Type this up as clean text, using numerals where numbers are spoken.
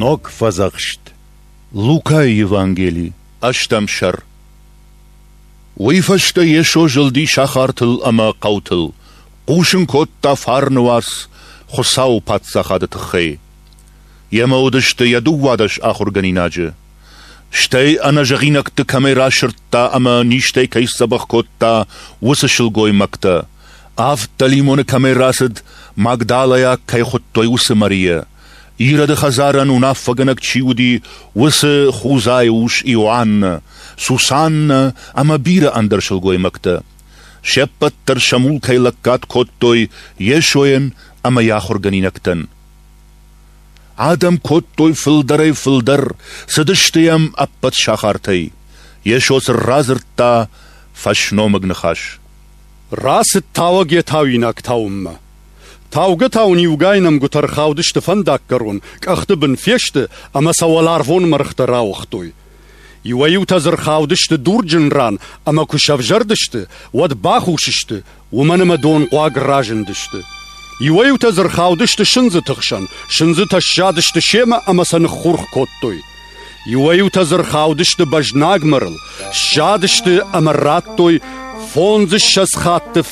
Ног Фӕдзӕхст. Лукайы Евангели, ӕстӕм сӕр. Уый фӕстӕ Йесо зылди сахартыл ӕмӕ хъӕутыл, хъусын кодта фарны уац Хуыцауы Паддзахады тыххӕй. Йемӕ уыдысты йӕ 12 ахуыргӕнинаджы. Стӕй ӕнӕзӕгъинӕгты кӕмӕй расырдта ӕмӕ низтӕй кӕй сдзӕбӕх кодта, уыцы сылгоймӕгтӕ, авд дӕлимоны кӕмӕй рацыд, Магдалӕйаг кӕй хуыдтой, уыцы Марийӕ, Ироды хӕдзарӕн уынаффӕгӕнӕг чи уыди, уыцы Хузайы ус Иоаннӕ, Сусаннӕ ӕмӕ бирӕ ӕндӕр сылгоймӕгтӕ. Се ппӕт дӕр сӕ мулкӕй лӕггад кодтой Йесойӕн ӕмӕ йӕ ахуыргӕнинӕгтӕн. Адӕм кодтой фылдӕрӕй-фылдӕр, цыдысты йӕм ӕппӕт сахартӕй. Йесо сын радзырдта фӕсномыг ныхас. Рацыд тауӕг йӕ тауинаг тауынмӕ. Таугӕ-тауын иугай нӕмгуытӕ ӕрхаудысты фӕндаггӕрон, къӕхты бын фесты ӕмӕ сӕ уӕларвон мӕргътӕ рауыгътой. Иуӕй-иутӕ дзы ӕрхаудысты дурджын ран ӕмӕ куы сӕвзӕрдысты, уӕд бахус сты, уымӕн ӕмӕ донхъуаг разындысты. Иуӕй-иутӕ дзы ӕрхаудысты сындзыты хсӕн, сындзытӕ сзадысты семӕ ӕмӕ сӕ ныххурх кодтой. Иуӕй-иутӕ дзы ӕрхаудысты бӕзнаг мӕрыл, сзадысты ӕмӕ радтой 25 хатты.